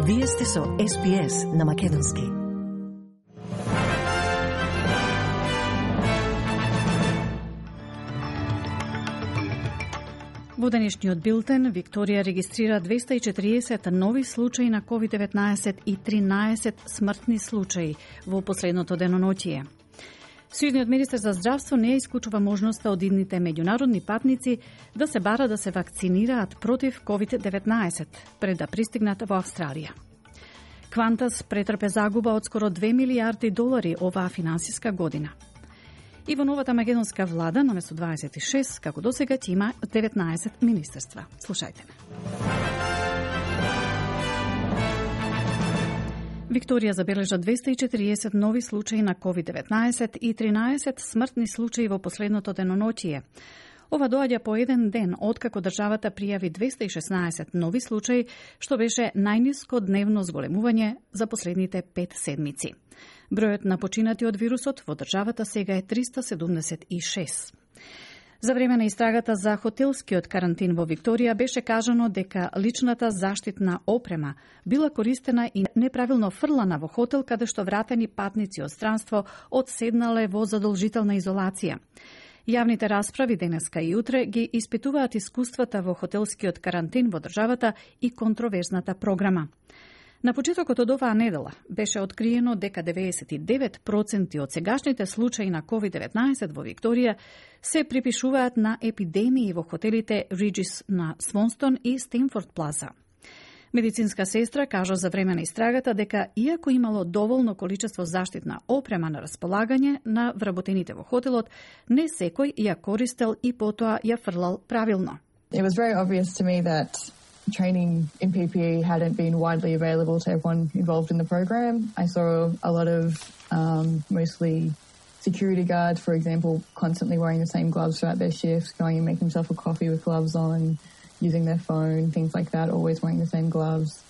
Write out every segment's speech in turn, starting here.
Вие сте со SPS на Македонски. Во денешниот билтен, Викторија регистрира 240 нови случаи на COVID-19 и 13 смртни случаи во последното деноноќие. Сојузниот министер за здравство не исклучува можноста од идните меѓународни патници да се бара да се вакцинираат против COVID-19 пред да пристигнат во Австралија. Qantas претрпе загуба од скоро $2 милиарди оваа финансиска година. И во новата македонска влада, наместо 26, како досега, ќе има 19 министерства. Слушајте ме. Викторија забележа 240 нови случаи на COVID-19 и 13 смртни случаи во последното деноноќие. Ова доаѓа по еден ден откако државата пријави 216 нови случаи, што беше најниско дневно зголемување за последните 5 седмици. Бројот на починати од вирусот во државата сега е 376. За време на истрагата за хотелскиот карантин во Викторија беше кажано дека личната заштитна опрема била користена и неправилно фрлана во хотел каде што вратени патници од странство одседнале во задолжителна изолација. Јавните расправи денеска и утре ги испитуваат искуствата во хотелскиот карантин во државата и контроверзната програма. На почетокот од оваа недела беше откриено дека 99% од сегашните случаи на COVID-19 во Викторија се припишуваат на епидемии во хотелите Regis на Свонстон и Стенфорд Плаза. Медицинска сестра кажа за време на истрагата дека иако имало доволно количество заштитна опрема на располагање на вработените во хотелот, не секој ја користел и потоа ја фрлал правилно. It was very obvious to me that training in PPE hadn't been widely available to everyone involved in the program. I saw a lot of mostly security guards, for example, constantly wearing the same gloves throughout their shifts, going and making themselves a coffee with gloves on, using their phone, things like that, always wearing the same gloves,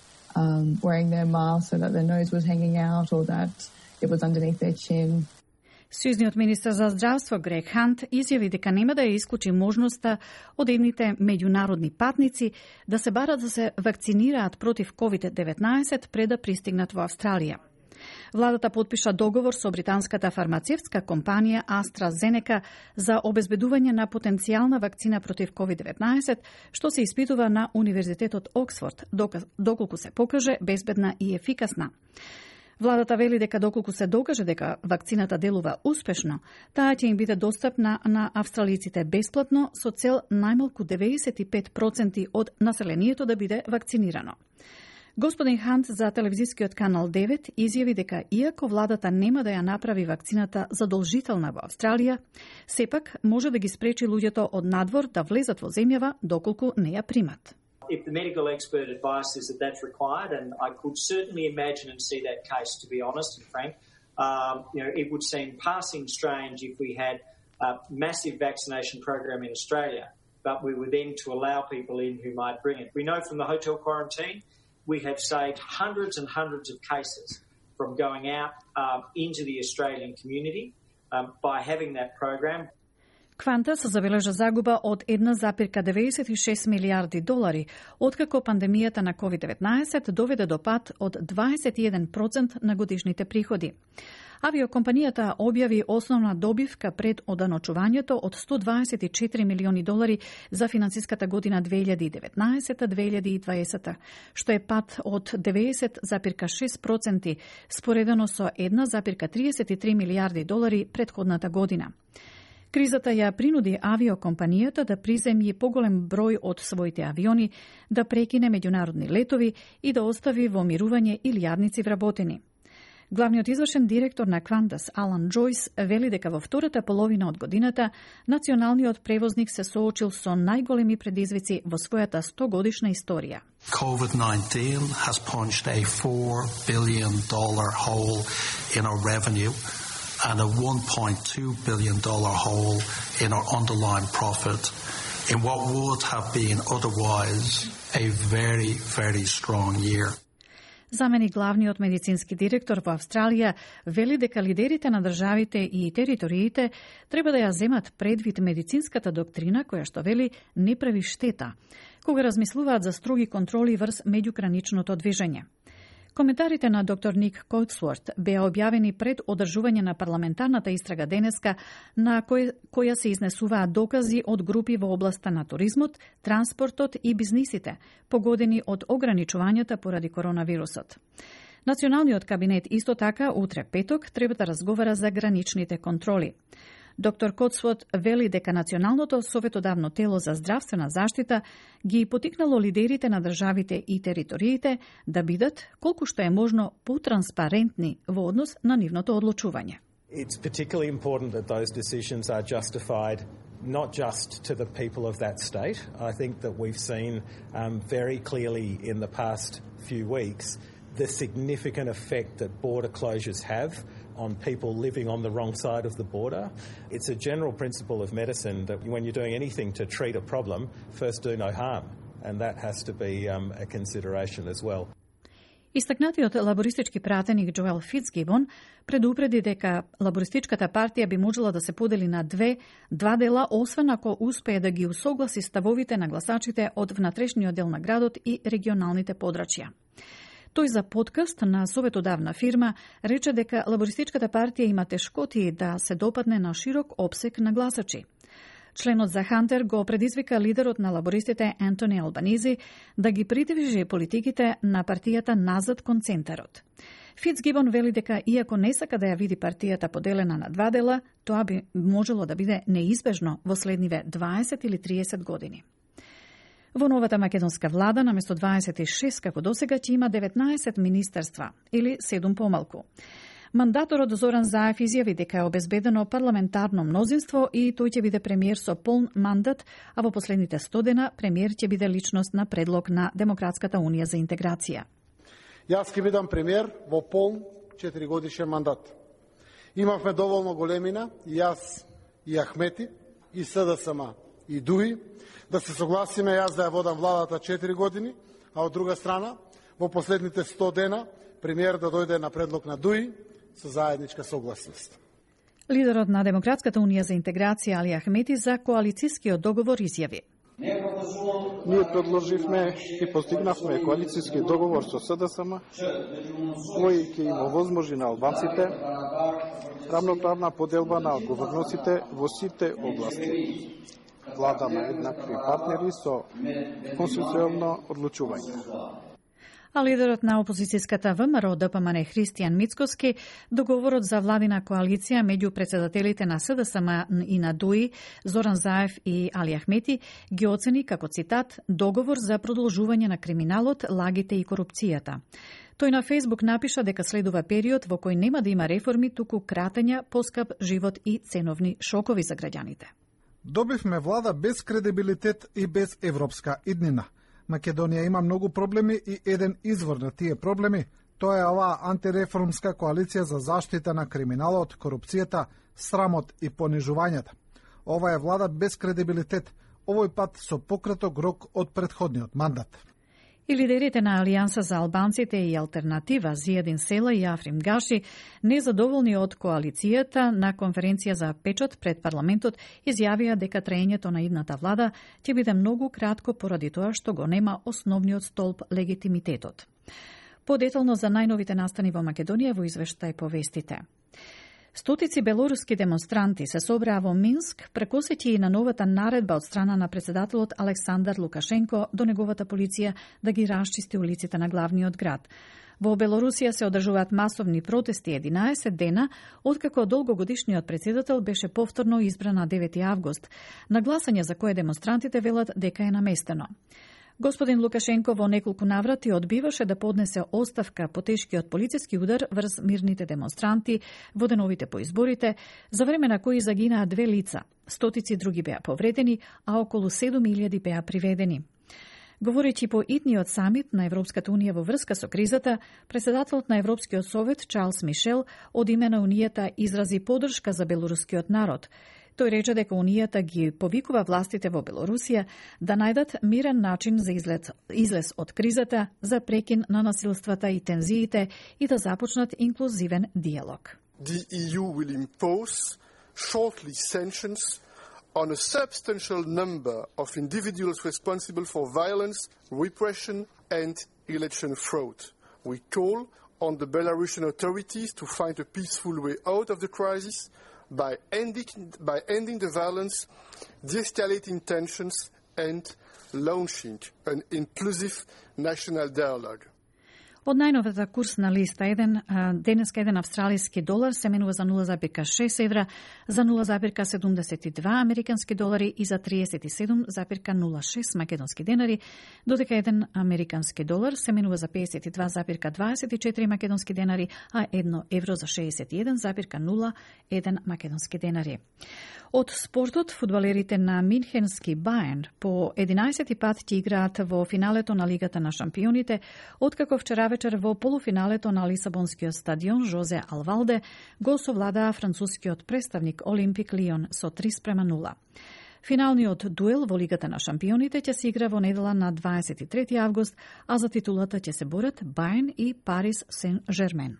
wearing their mask so that their nose was hanging out or that it was underneath their chin. Сојузниот министер за здравство Грег Хант изјави дека нема да ја исклучи можноста од едните меѓународни патници да се барат да се вакцинираат против COVID-19 пред да пристигнат во Австралија. Владата потпиша договор со британската фармацевтска компанија AstraZeneca за обезбедување на потенцијална вакцина против COVID-19, што се испитува на Универзитетот Оксфорд, доколку се покаже безбедна и ефикасна. Владата вели дека доколку се докаже дека вакцината делува успешно, таа ќе им биде достапна на австралиците бесплатно со цел најмалку 95% од населението да биде вакцинирано. Господин Хант за телевизискиот канал 9 изјави дека иако владата нема да ја направи вакцината задолжителна во Австралија, сепак може да ги спречи луѓето од надвор да влезат во земјава доколку не ја примат. If the medical expert advice is that that's required, and I could certainly imagine and see that case, to be honest and frank, it would seem passing strange if we had a massive vaccination program in Australia, but we were then to allow people in who might bring it. We know from the hotel quarantine, we have saved hundreds and hundreds of cases from going out into the Australian community by having that program. Qantas забележа загуба од $1,96 милиарди, откако пандемијата на COVID-19 доведе до пад од 21% на годишните приходи. Авиокомпанијата објави основна добивка пред оданочувањето од $124 милиони за финансиската година 2019-2020, што е пад од 90,6% споредено со $1,33 милиарди претходната година. Кризата ја принуди авиокомпанијата да приземји поголем број од своите авиони, да прекине меѓународни летови и да остави во мирување илјадници вработени. Главниот извршен директор на Qantas, Алан Джойс, вели дека во втората половина од годината националниот превозник се соочил со најголеми предизвици во својата 100-годишна историја. COVID-19 has punched a $4 billion hole in our revenue and a $1.2 billion hole in our underlying profit in what would have been otherwise a very, very strong year. Замени главниот медицински директор во Австралија вели дека лидерите на државите и териториите треба да ја земат предвид медицинската доктрина која што вели не прави штета, кога размислуваат за строги контроли врз меѓуграничното движење. Коментарите на доктор Ник Коутсворт беа објавени пред одржување на парламентарната истрага денеска, на која се изнесуваат докази од групи во областа на туризмот, транспортот и бизнисите, погодени од ограничувањата поради коронавирусот. Националниот кабинет исто така утре петок треба да разговара за граничните контроли. Доктор Коутсворт вели дека Националното советодавно тело за здравствена заштита ги потикнало лидерите на државите и териториите да бидат колку што е можно потранспарентни во однос на нивното одлучување. It's particularly important that those decisions are justified not just to the people of that state. I think that we've seen very clearly in the past few weeks the significant effect that border closures have on people living on the wrong side of the border. It's a general principle of medicine that when you're doing anything to treat a problem, first do no harm, and that has to be a consideration as well. Истакнатиот лабористички пратеник Джоел Фицгибон предупреди дека лабористичката партија би можела да се подели на два дела, освен ако успее да ги усогласи ставовите на гласачите од внатрешниот дел на градот и регионалните подрачја. Тој за подкаст на советодавна фирма рече дека лабористичката партија има тешкоти да се допадне на широк опсек на гласачи. Членот за Хантер го предизвика лидерот на лабористите Ентони Албанизи да ги придвижи политиките на партијата назад кон центарот. Фицгибон вели дека иако не сака да ја види партијата поделена на два дела, тоа би можело да биде неизбежно во следниве 20 или 30 години. Во новата македонска влада, наместо 26 како досега, ќе има 19 министерства, или 7 помалку. Мандаторот Зоран Заев изјави дека е обезбедено парламентарно мнозинство и тој ќе биде премиер со полн мандат, а во последните 100 дена премиер ќе биде личност на предлог на Демократската унија за интеграција. Јас ќе бидам премиер во полн 4-годишен мандат. Имавме доволно големина, и јас, и Ахмети, и СДСМ, и ДУИ, да се согласиме јас да ја водам владата 4 години, а од друга страна, во последните 100 дена, премиер да дојде на предлог на ДУИ со заедничка согласност. Лидерот на Демократската унија за интеграција Али Ахмети за коалицијскиот договор изјави. Ние предложивме и постигнавме коалицијски договор со СДСМ, кој ќе им овозможи на албанците рамноправна поделба на одговорностите во сите области. Влада на еднакви партнери со конституционално одлучување. А лидерот на опозицијската ВМРО ДПМН Христијан Мицкоски договорот за владина коалиција меѓу председателите на СДСМ и на ДУИ Зоран Заев и Али Ахмети ги оцени како цитат договор за продолжување на криминалот, лагите и корупцијата. Тој на Фејсбук напиша дека следува период во кој нема да има реформи, туку кратења, поскап живот и ценовни шокови за граѓаните. Добивме влада без кредибилитет и без европска иднина. Македонија има многу проблеми и еден извор на тие проблеми, тоа е оваа антиреформска коалиција за заштита на криминалот, корупцијата, срамот и понижувањата. Ова е влада без кредибилитет, овој пат со пократок рок од претходниот мандат. И лидерите на Алијанса за албанците и Алтернатива Зиједин Села и Африм Гаши, незадоволни од коалицијата на конференција за печат пред парламентот, изјавија дека траењето на идната влада ќе биде многу кратко поради тоа што го нема основниот столб легитимитетот. Подетално за најновите настани во Македонија во извештај по вестите. Стотици белоруски демонстранти се собраа во Минск, прекосеќи и на новата наредба од страна на председателот Александар Лукашенко до неговата полиција да ги расчисти улиците на главниот град. Во Белорусија се одржуваат масовни протести 11 дена, откако долгогодишниот председател беше повторно избран на 9 август, на гласање за кое демонстрантите велат дека е наместено. Господин Лукашенко во неколку наврати одбиваше да поднесе оставка по тешкиот полициски удар врз мирните демонстранти во деновите по изборите, за време на кои загинаа 2 лица, стотици други беа повредени, а околу 7.000 беа приведени. Говорејќи по итниот самит на Европската унија во врска со кризата, председателот на Европскиот совет Чарлс Мишел од име на унијата изрази поддршка за белорускиот народ. Тој рече дека унијата ги повикува властите во Белорусија да најдат мирен начин за излез од кризата, за прекин на насилствата и тензиите и да започнат инклузивен диалог. The EU will impose shortly sanctions on a substantial number of individuals responsible for violence, repression and election fraud. We call on the Belarusian authorities to find a peaceful way out of the crisis by ending the violence, de-escalating tensions and launching an inclusive national dialogue. Од најновата курсна листа, денеска еден австралиски долар се менува за 0,6 евра, за 0,72 американски долари и за 37,06 македонски денари, додека еден американски долар се менува за 52,24 македонски денари, а 1 евро за 61,01 македонски денари. Од спортот, фудбалерите на Минхенски Бајерн по 11 пат ќе играат во финалето на Лигата на шампионите, откако вчера вечер во полуфиналето на Лисабонскиот стадион Жозе Алвалде го совладаа францускиот представник Олимпик Лион со 3:0. Финалниот дуел во Лигата на шампионите ќе се игра во недела на 23 август, а за титулата ќе се борат Бајерн и Парис Сен-Жермен.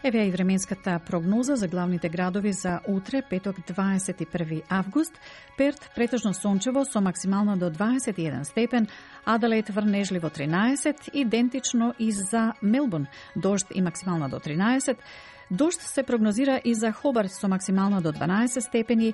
Еве и временската прогноза за главните градови за утре, петок 21 август. Перт претежно сончево со максимално до 21 степен, Аделаид врнежливо 13, идентично и за Мелбурн, дожд и максимално до 13. Дожд се прогнозира и за Хобарт со максимално до 12 степени.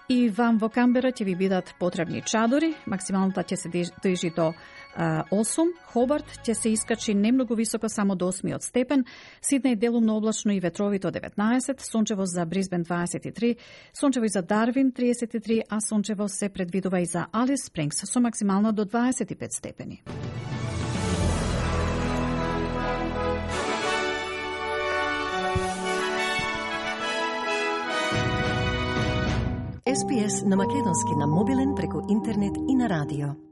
И вам во Камбера ќе ви бидат потребни чадори, максималната ќе се движи до 8, Хобарт ќе се искачи немногу високо само до 8 степен, Сиднеј делумно облачно и ветровито 19, сончево за Брисбен 23, сончево и за Дарвин 33, а сончево се предвидува и за Алис Спрингс со максимално до 25 степени. SPS на македонски на мобилен преку интернет и на радио.